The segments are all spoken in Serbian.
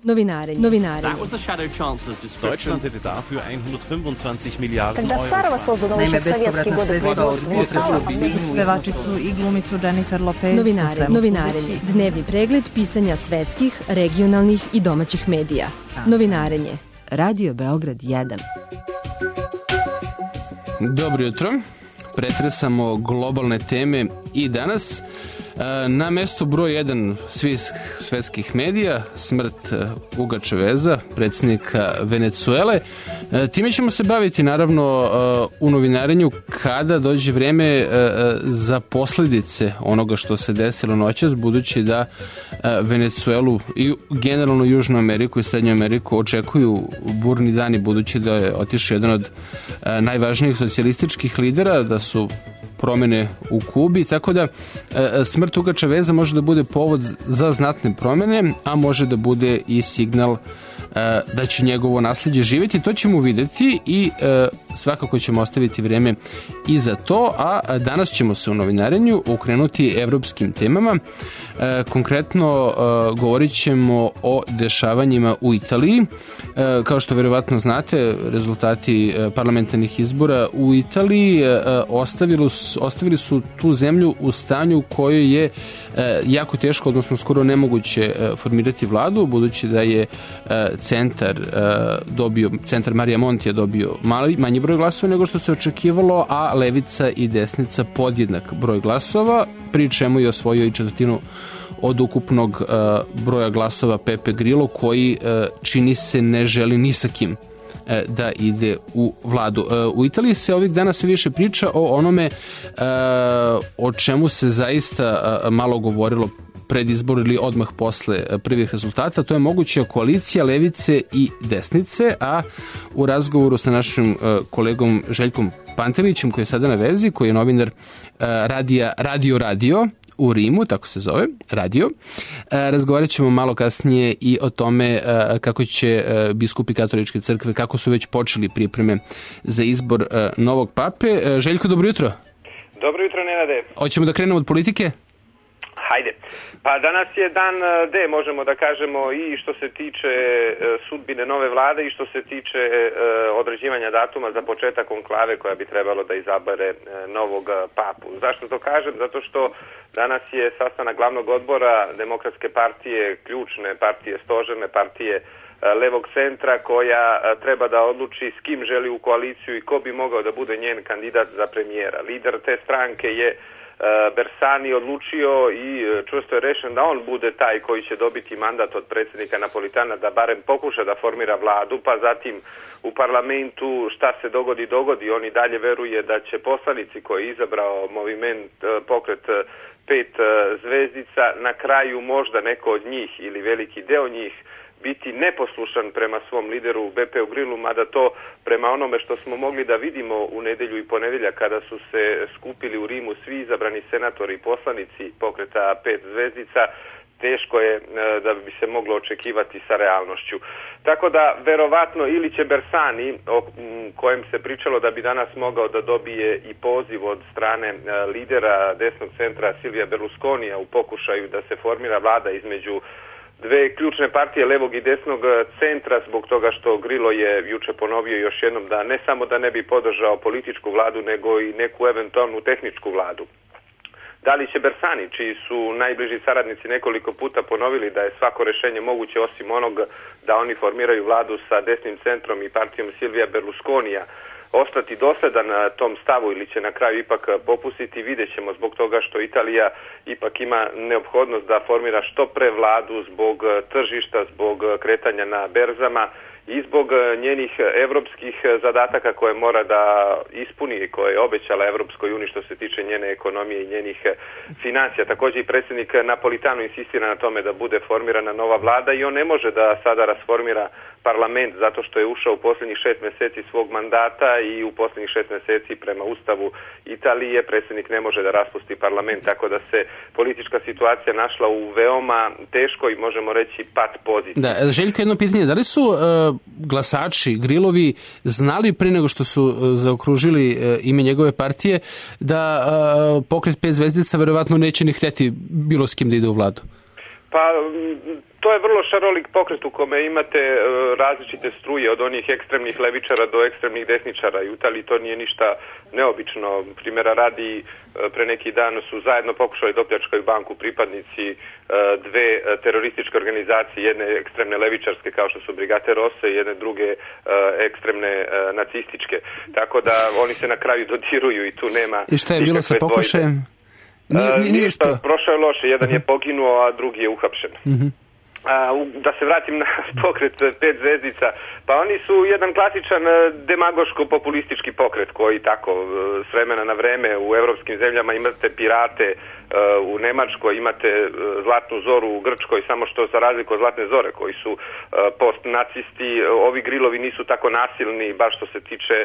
Novinarenje. Deutschland hätte dafür 125 Miliarden Когда старого создан еще в советские годы производства не стало, pevačicu i glumicu Jennifer Lopez. Novinarenje. Dnevni pregled pisanja svetskih, regionalnih i domaćih medija. Novinarenje. Radio Beograd 1. Dobro jutro. Pretresamo globalne teme i danas na mestu broj 1 svih svetskih medija, smrt Huga Chaveza, predsjednika Venecuele. Time ćemo se baviti naravno u novinarenju kada dođe vreme za posljedice onoga što se desilo noćas, budući da Venecuelu i generalno Južnu Ameriku i Srednju Ameriku očekuju burni dani, budući da je otišao jedan od najvažnijih socijalističkih lidera, da su promene u Kubi, tako da smrt Huga Chaveza može da bude povod za znatne promene, a može da bude i signal da će njegovo nasljeđe živjeti. To ćemo vidjeti i svakako ćemo ostaviti vreme i za to, a danas ćemo se u novinarenju okrenuti evropskim temama. Konkretno govorit ćemo o dešavanjima u Italiji. Kao što verovatno znate, rezultati parlamentarnih izbora u Italiji ostavili su tu zemlju u stanju u kojoj je jako teško, odnosno skoro nemoguće formirati vladu, budući da je centar Marija Monti je dobio manji broj glasova nego što se očekivalo, a levica i desnica podjednak broj glasova, pri čemu je osvojio i četvrtinu od ukupnog broja glasova Pepe Grillo, koji čini se ne želi ni sa kim da ide u vladu. U Italiji se ovih dana sve više priča o onome o čemu se zaista malo govorilo pred izbor ili odmah posle prvih rezultata. To je moguća koalicija levice i desnice, a u razgovoru sa našim kolegom Željkom Pantelićem, koji je sada na vezi, koji je novinar radija Radio u Rimu, tako se zove, radio. Razgovarat ćemo malo kasnije i o tome kako će biskupi katoličke crkve, kako su već počeli pripreme za izbor novog pape. Željko, dobro jutro. Dobro jutro, Nenade. Hoćemo da krenemo od politike? Hajde. Pa danas je dan D, možemo da kažemo, i što se tiče sudbine nove vlade i što se tiče određivanja datuma za početak konklave koja bi trebalo da izabere novog papu. Zašto to kažem? Zato što danas je sastanak glavnog odbora Demokratske partije, ključne partije, stožerne partije levog centra, koja treba da odluči s kim želi u koaliciju i ko bi mogao da bude njen kandidat za premijera. Lider te stranke je Bersani odlučio i čvrsto je rešen da on bude taj koji će dobiti mandat od predsjednika Napolitana da barem pokuša da formira vladu, pa zatim u parlamentu šta se dogodi. On i dalje veruje da će poslanici koji je izabrao moviment pokret 5 zvezdica na kraju možda neko od njih ili veliki deo njih biti neposlušan prema svom lideru Bepeu Grillu, mada to prema onome što smo mogli da vidimo u nedelju i ponedeljak kada su se skupili u Rimu svi izabrani senatori i poslanici pokreta 5 zvezdica, teško je da bi se moglo očekivati sa realnošću. Tako da, verovatno, ili će Bersani, o kojem se pričalo da bi danas mogao da dobije i poziv od strane lidera desnog centra Silvija Berlusconija u pokušaju da se formira vlada između dve ključne partije levog i desnog centra, zbog toga što Grillo je juče ponovio još jednom da ne samo da ne bi podržao političku vladu, nego i neku eventualnu tehničku vladu. Da li će Bersani, čiji su najbliži saradnici nekoliko puta ponovili da je svako rešenje moguće osim onog da oni formiraju vladu sa desnim centrom i partijom Silvija Berlusconija, ostati dosledan na tom stavu ili će na kraju ipak popustiti, vidjet ćemo, zbog toga što Italija ipak ima neophodnost da formira što pre vladu zbog tržišta, zbog kretanja na berzama i zbog njenih evropskih zadataka koje mora da ispuni i koje je obećala Evropskoj uniji što se tiče njene ekonomije i njenih financija. Također i predsjednik Napolitano insistira na tome da bude formirana nova vlada i on ne može da sada rasformira parlament zato što je ušao u posljednjih 6 mjeseci svog mandata i u posljednjih 6 mjeseci prema Ustavu Italije predsjednik ne može da raspusti parlament, tako da se politička situacija našla u veoma teškoj, možemo reći, pat poziciji. Da, Željko, jedno pitanje, da li su glasači Grillovi znali pre nego što su zaokružili ime njegove partije da pokret 5 zvezdica verovatno neće ni hteti bilo s kim da ide u vladu? Pa To je vrlo šarolik pokret u kome imate različite struje, od onih ekstremnih levičara do ekstremnih desničara. I u Italiji to nije ništa neobično. Primjera radi, pre neki dan su zajedno pokušali da opljačkaju banku pripadnici dve terorističke organizacije, jedne ekstremne levičarske kao što su Brigate Rosse i jedne druge ekstremne nacističke. Tako da oni se na kraju dodiruju i tu nema... I šta je bilo sa pokušajem? Ništa, prošao je loše. Jedan je poginuo, a drugi je uhapšen. Da se vratim na pokret 5 zvezdica, pa oni su jedan klasičan demagoško-populistički pokret koji tako s vremena na vreme u evropskim zemljama imate pirate, u Nemačkoj imate Zlatnu zoru u Grčkoj, samo što za razliku od Zlatne zore koji su post-nacisti, ovi grilovi nisu tako nasilni baš što se tiče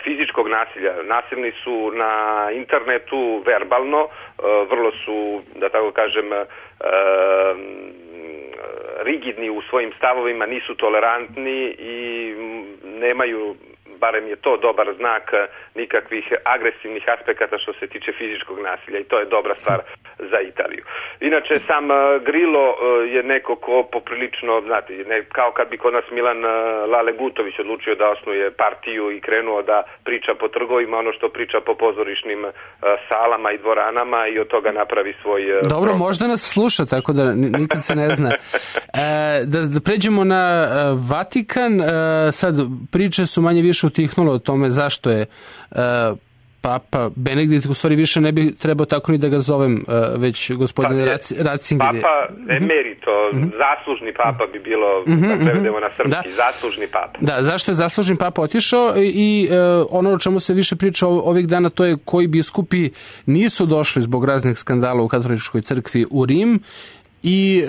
fizičkog nasilja. Nasilni su na internetu verbalno, vrlo su, da tako kažem, rigidni u svojim stavovima, nisu tolerantni i nemaju, barem je to dobar znak, nikakvih agresivnih aspekata što se tiče fizičkog nasilja i to je dobra stvar za Italiju. Inače, sam Grillo je neko ko poprilično, znate, kao kad bi kod nas Milan Lale Gutović odlučio da osnuje partiju i krenuo da priča po trgovima, ono što priča po pozorišnim salama i dvoranama i od toga napravi svoj... Dobro, možda nas sluša, tako da nikad se ne zna. Da pređemo na Vatikan, sad priče su manje više utihnule o tome zašto je Papa Benedikt, u stvari više ne bi trebao tako ni da ga zovem, već gospodin Ratzinger. Papa emerito, zaslužni papa bi bilo, da prevedemo na srpski, zaslužni papa. Da, zašto je zaslužni papa otišao i ono o čemu se više priča ovih dana, to je koji biskupi nisu došli zbog raznih skandala u katoličkoj crkvi u Rim i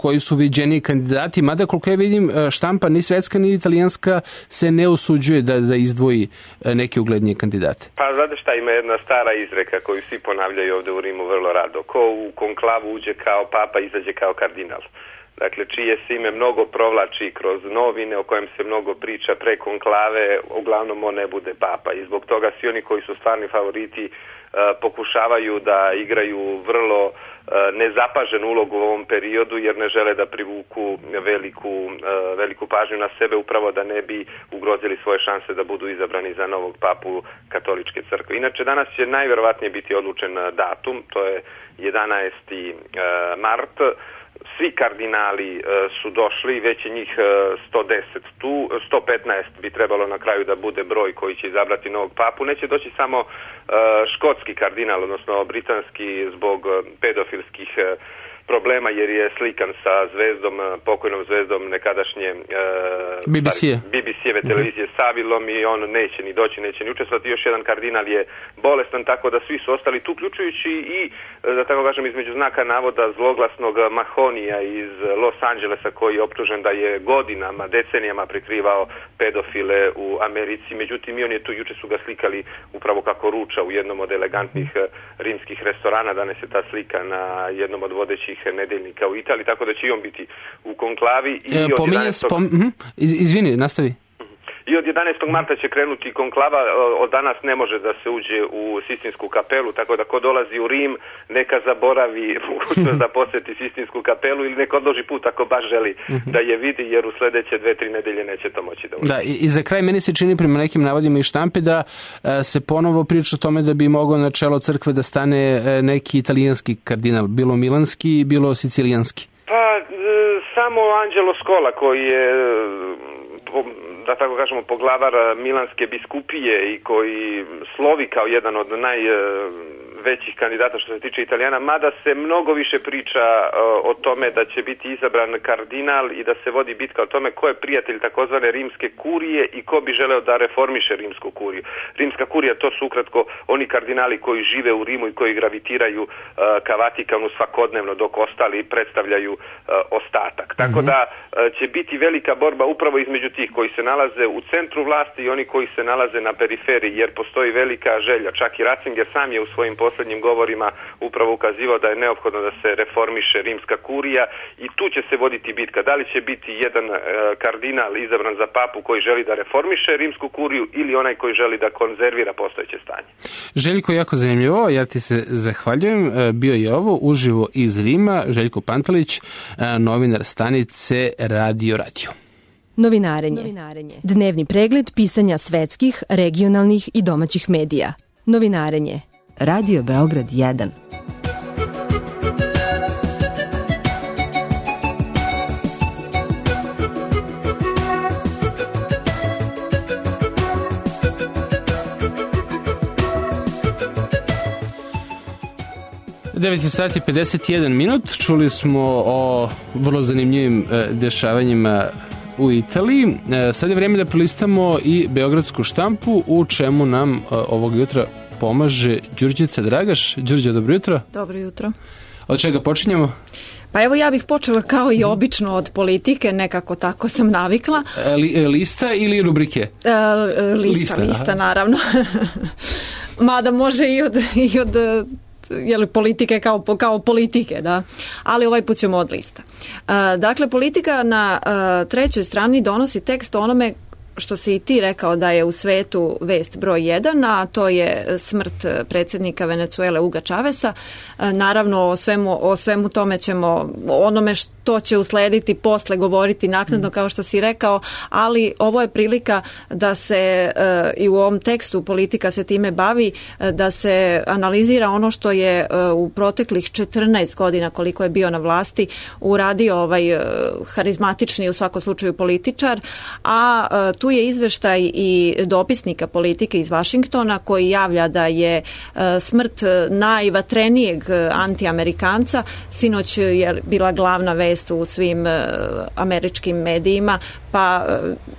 koji su viđeni kandidati, mada koliko ja vidim štampa ni svetska ni italijanska se ne usuđuje da izdvoji neke uglednije kandidate. Pa znate šta, ima jedna stara izreka koju svi ponavljaju ovde u Rimu vrlo rado. Ko u konklavu uđe kao papa, izađe kao kardinal. Dakle, čije se ime mnogo provlači kroz novine, o kojem se mnogo priča pre konklave, uglavnom on ne bude papa. I zbog toga svi oni koji su stvarni favoriti pokušavaju da igraju vrlo nezapaženu ulogu u ovom periodu jer ne žele da privuku veliku pažnju na sebe upravo da ne bi ugrozili svoje šanse da budu izabrani za novog papu katoličke crkve. Inače, danas će najverovatnije biti odlučen datum, to je 11. mart. Svi kardinali su došli, već je njih 110 tu, 115 bi trebalo na kraju da bude broj koji će izabrati novog papu. Neće doći samo škotski kardinal, odnosno britanski zbog pedofilskih problema jer je slikan sa zvezdom, pokojnom zvezdom nekadašnje BBC-eve televizije Savilom i on neće ni doći, neće ni učestvovati. Još jedan kardinal je bolestan, tako da svi su ostali tu, uključujući i, da tako kažem, između znaka navoda zloglasnog Mahonija iz Los Angelesa koji je optužen da je godinama, decenijama prikrivao pedofile u Americi. Međutim, i on je tu, juče su ga slikali upravo kako ruča u jednom od elegantnih rimskih restorana. Danas je ta slika na jednom od vodećih nedeljnika u Italiji, tako da će i on biti u konklavi. Izvini, nastavi. I od 11. marta će krenuti konklava, od danas ne može da se uđe u Sistinsku kapelu, tako da ko dolazi u Rim neka zaboravi mogućnost da poseti Sistinsku kapelu ili neka odloži put ako baš želi da je vidi, jer u sledeće 2-3 nedelje neće to moći da uđe. Da, i za kraj meni se čini prema nekim navodima i štampe da se ponovo priča o tome da bi mogao na čelo crkve da stane neki italijanski kardinal, bilo milanski, bilo sicilijanski. Pa, samo Angelo Scola koji je, da tako kažemo, poglavar Milanske biskupije i koji slovi kao jedan od najvećih kandidata što se tiče Italijana, mada se mnogo više priča o tome da će biti izabran kardinal i da se vodi bitka o tome ko je prijatelj takozvane rimske kurije i ko bi želeo da reformiše rimsku kuriju. Rimska kurija, to su ukratko oni kardinali koji žive u Rimu i koji gravitiraju ka Vatikanu svakodnevno, dok ostali predstavljaju ostatak. Tako da će biti velika borba upravo između tih koji se nalaze u centru vlasti i oni koji se nalaze na periferiji, jer postoji velika želja. Čak i Ratzinger sam je u svojim poslednjim poslednjim govorima upravo ukazivao da je neophodno da se reformiše rimska kurija i tu će se voditi bitka. Da li će biti jedan kardinal izabran za papu koji želi da reformiše rimsku kuriju ili onaj koji želi da konzervira postojeće stanje. Željko, jako zanimljivo, ja ti se zahvaljujem. Bio je ovo uživo iz Rima, Željko Pantelić, novinar stanice Radio. Novinarenje. Dnevni pregled pisanja svetskih, regionalnih i domaćih medija. Novinarenje. Radio Beograd 1. Sati 51 minut. Čuli smo o vrlo zanimljivim dešavanjima u Italiji. Sad je vreme da prelistamo i beogradsku štampu, u čemu nam ovog jutra pomaže Đurđica Dragaš. Đurđe, dobro jutro. Dobro jutro. Od čega počinjemo? Pa evo, ja bih počela kao i obično od politike, nekako tako sam navikla. Lista ili rubrike? Lista, naravno. Mada može i od politike kao politike, da. Ali ovaj put ćemo od lista. Dakle, politika na trećoj strani donosi tekst o onome što si i ti rekao da je u svetu vest broj 1, a to je smrt predsjednika Venezuele Huga Chaveza. Naravno, o svemu tome ćemo, onome što će uslediti posle govoriti naknadno, kao što si rekao, ali ovo je prilika da se i u ovom tekstu politika se time bavi, da se analizira ono što je u proteklih 14 godina koliko je bio na vlasti uradio ovaj harizmatični, u svakom slučaju, političar, a tu je izveštaj i dopisnika politike iz Vašingtona koji javlja da je smrt najvatrenijeg antiamerikanca. Sinoć je bila glavna vest u svim američkim medijima, pa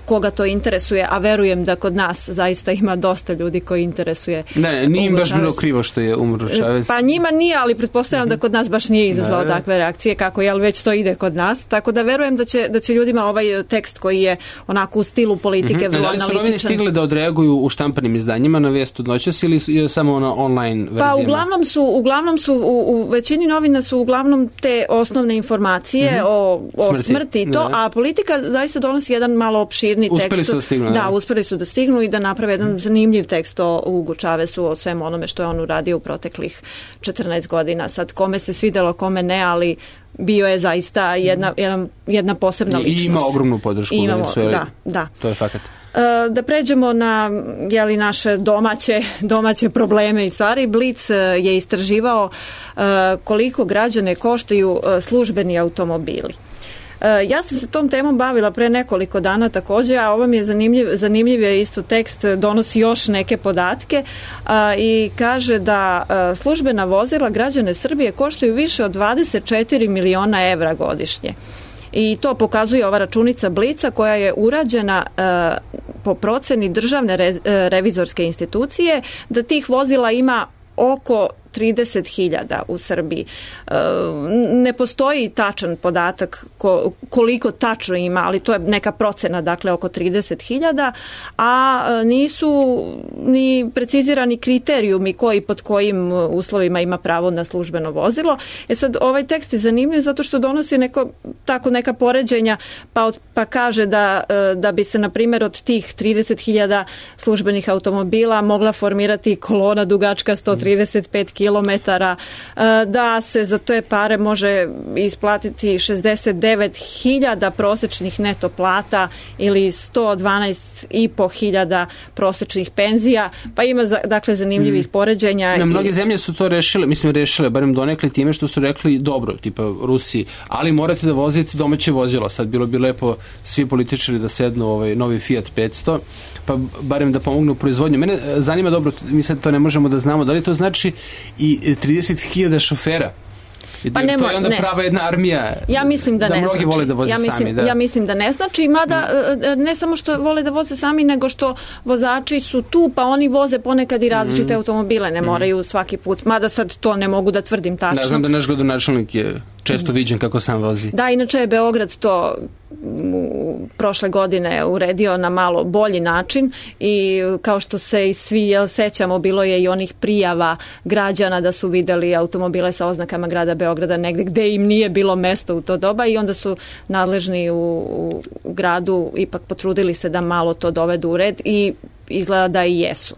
koga to interesuje, a verujem da kod nas zaista ima dosta ljudi koji interesuje. Ne, nije im baš bilo krivo što je umro Chavez. Pa njima nije, ali pretpostavljam da kod nas baš nije izazvao takve reakcije, kako već to ide kod nas. Tako da verujem da će ljudima ovaj tekst koji je onako u stilu politike vrlo analitičan. Da li su novine stigle da odreaguju u štampanim izdanjima na vest od noćas ili je samo na online verzijama? Pa uglavnom su u većini novina su uglavnom te osnovne informacije o smrti i to, a politika zaista donosi jedan malo opširni tekst. Uspeli su da stignu. Da, uspeli su da stignu i da naprave jedan zanimljiv tekst o Hugu Chavezu, o svemu onome što je on uradio u proteklih 14 godina. Sad, kome se svidelo, kome ne, ali bio je zaista jedna posebna ličnost. I ima ogromnu podršku. Da. To je fakat. Da pređemo na naše domaće probleme i stvari. Blic je istraživao koliko građane koštaju službeni automobili. Ja sam se tom temom bavila pre nekoliko dana također, a ovo mi je zanimljiv je isto tekst, donosi još neke podatke i kaže da službena vozila građane Srbije koštaju više od 24 miliona evra godišnje. I to pokazuje ova računica Blica koja je urađena po proceni državne revizorske institucije, da tih vozila ima oko 30.000 u Srbiji. Ne postoji tačan podatak koliko tačno ima, ali to je neka procena, dakle oko 30.000, a nisu ni precizirani kriterijumi koji pod kojim uslovima ima pravo na službeno vozilo. Sad, ovaj tekst je zanimljiv zato što donosi neka poređenja, pa kaže da bi se, na primjer, od tih 30.000 službenih automobila mogla formirati kolona dugačka 135 kilometara, da se za te pare može isplatiti 69.000 prosečnih neto plata ili 112.500 prosečnih penzija, pa ima dakle zanimljivih poređenja. Mnoge zemlje su to rešile, barem donekle time što su rekli dobro, tipa Rusiji, ali morate da vozite domaće vozilo. Sad bilo bi lepo svi političari da sednu novi Fiat 500, pa barem da pomognu proizvodnju. Mene zanima, dobro, mi sad to ne možemo da znamo, da li to znači i 30.000 šofera? Pa to je onda prava jedna armija. Ja mislim da ne mnogi znači. Vole da voze sami. Ja mislim da ne znači, mada ne samo što vole da voze sami, nego što vozači su tu, pa oni voze ponekad i različite automobile, ne moraju svaki put. Mada sad to ne mogu da tvrdim tačno. Ne znam da naš gradonačelnik je često viđen kako sam vozi. Da, inače je Beograd to prošle godine uredio na malo bolji način i kao što se i svi sećamo, bilo je i onih prijava građana da su videli automobile sa oznakama grada Beograda negde gde im nije bilo mesto u to doba i onda su nadležni u gradu ipak potrudili se da malo to dovedu u red i izgleda da i jesu.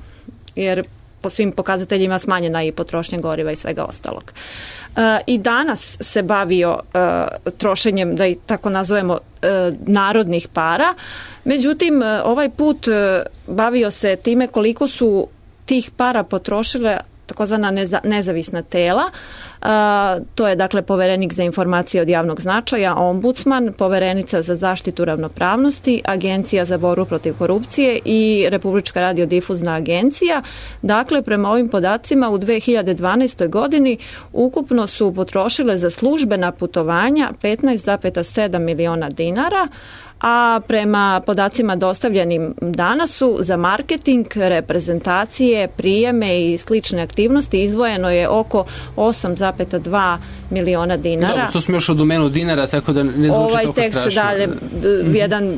Jer po svim pokazateljima smanjena i potrošnja goriva i svega ostalog. I danas se bavio trošenjem, da i tako nazovemo, narodnih para. Međutim, ovaj put bavio se time koliko su tih para potrošile takozvana nezavisna tela. To je dakle poverenik za informacije od javnog značaja, ombudsman, poverenica za zaštitu ravnopravnosti, Agencija za borbu protiv korupcije i Republička radiodifuzna agencija. Dakle, prema ovim podacima u 2012. godini ukupno su potrošile za službena putovanja 15,7 miliona dinara, a prema podacima dostavljenim danas su za marketing, reprezentacije, prijeme i slične aktivnosti izdvojeno je oko 8,2 miliona dinara. Dobro, to smo još u domenu dinara, tako da ne zvuči toliko strašno. Ovaj tekst dalje, jedan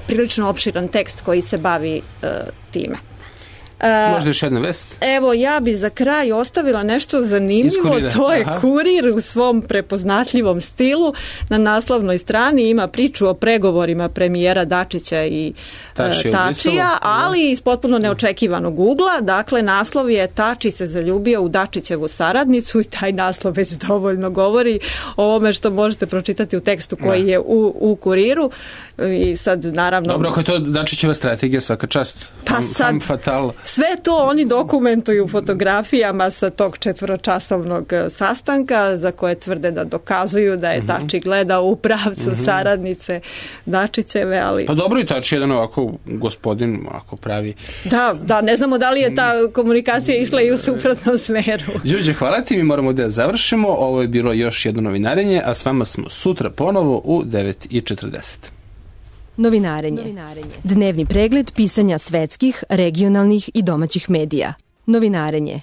prilično opširan tekst koji se bavi time. Možda još jedna vest? Evo, ja bi za kraj ostavila nešto zanimljivo, to je Kurir u svom prepoznatljivom stilu. Na naslovnoj strani ima priču o pregovorima premijera Dačića i Tačija, ali iz potpuno neočekivanog ugla. Dakle, naslov je Tači se zaljubio u Dačićevu saradnicu i taj naslov već dovoljno govori o ovome što možete pročitati u tekstu koji je u Kuriru. I sad, naravno... Dobro, ako je to Dačićeva strategija, svaka čast. Femme fatale. Sve to oni dokumentuju fotografijama sa tog 4-časovnog sastanka za koje tvrde da dokazuju da je Tači gledao u pravcu saradnice Dačićeve, ali... Pa dobro, i Tači jedan ovako gospodin, ako pravi... Da, ne znamo da li je ta komunikacija išla i u suprotnom smeru. Đurđe, hvala ti, mi moramo da završimo. Ovo je bilo još jedno novinarenje, a s vama smo sutra ponovo u 9:40. Novinarenje. Dnevni pregled pisanja svetskih, regionalnih i domaćih medija. Novinarenje.